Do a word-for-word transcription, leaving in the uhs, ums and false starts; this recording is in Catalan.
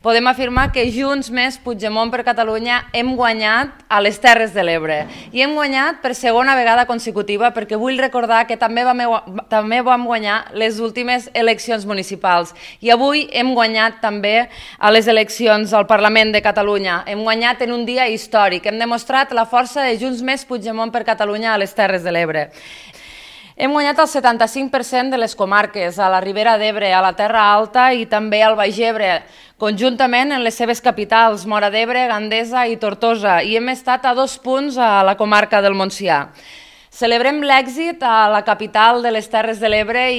Podem afirmar que Junts més Puigdemont per Catalunya hem guanyat a les Terres de l'Ebre. I hem guanyat per segona vegada consecutiva perquè vull recordar que també vam, també vam guanyar les últimes eleccions municipals. I avui hem guanyat també a les eleccions al Parlament de Catalunya. Hem guanyat en un dia històric. Hem demostrat la força de Junts més Puigdemont per Catalunya a les Terres de l'Ebre. Hem guanyat el setanta-cinc per cent de les comarques, a la Ribera d'Ebre, a la Terra Alta i també al Baix Ebre, conjuntament en les seves capitals, Móra d'Ebre, Gandesa i Tortosa, i hem estat a dos punts a la comarca del Montsià. Celebrem l'èxit a la capital de les Terres de l'Ebre i